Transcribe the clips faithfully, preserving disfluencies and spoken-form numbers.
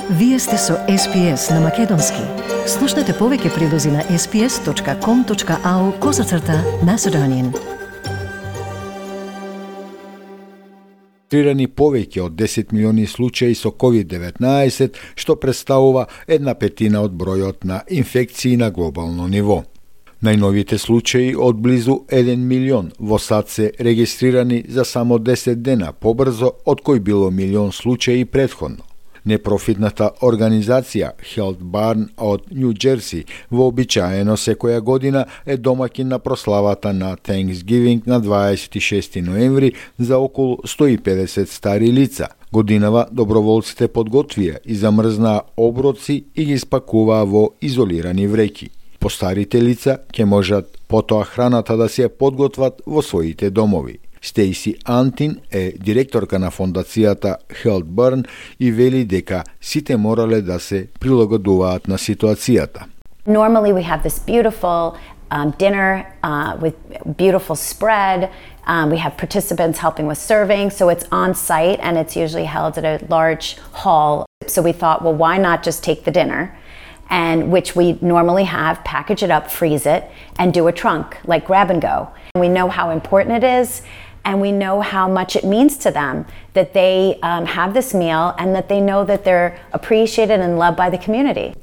Вие сте со Ес Пи Ес на Македонски. Слушнете повеќе прилози на ес пи ес точка ком точка ау козацрта Macedonian. Регистрирани повеќе од десет милиони случаи со ковид деветнаесет, што представува една петина од бројот на инфекции на глобално ниво. Најновите случаи од близу еден милион во САД се регистрирани за само десет дена побрзо од кој било милион случаи претходно. Непрофитната организација Health Barn од Њу Џерси вообичаено секоја година е домаќин на прославата на Thanksgiving на дваесет и шести ноември за околу сто и педесет стари лица. Годинава доброволците подготвија и замрзнаа оброци и ги спакуваа во изолирани вреќи. Постарите лица ќе можат потоа храната да се подготват во своите домови. Стейси Антин е директорка на фондацијата Health Barn и вели дека сите морале да се прилагодуваат на ситуацијата. Normally we have this beautiful um, dinner uh, with beautiful spread. Um, we have participants helping with serving, so it's on site and it's usually held at a large hall. So we thought, well, why not just take the dinner, and which we normally have, package it up, freeze it, and do a trunk, like grab and go. We know how important it is, and we know how much it means to them that they um, have this meal and that they know that they're appreciated and loved by the community.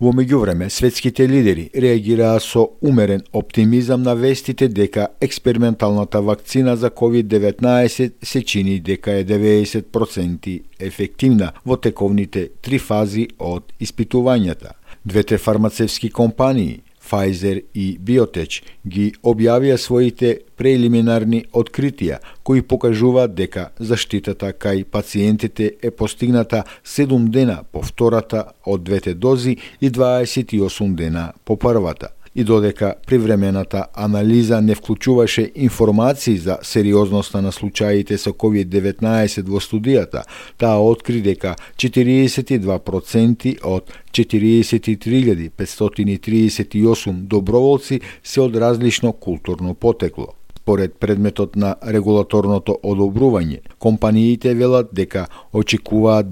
Во меѓувреме, светските лидери реагираа со умерен оптимизам на вестите дека експерименталната вакцина за ковид деветнаесет се чини дека е деветдесет проценти ефективна во тековните три фази од испитувањата. Двете фармацевски компании, Pfizer и Biotech, ги објавија своите прелиминарни откритија, кои покажуваат дека заштитата кај пациентите е постигната седум дена по втората од двете дози и дваесет и осум дена по првата. И додека привремената анализа не вклучуваше информации за сериозноста на случаите со ковид деветнаесет во студијата, таа откри дека четириесет и два проценти од четириесет и три илјади петстотини и триесет и осум доброволци се од различно културно потекло. Според предметот на регулаторното одобрување, компаниите велат дека очекуваат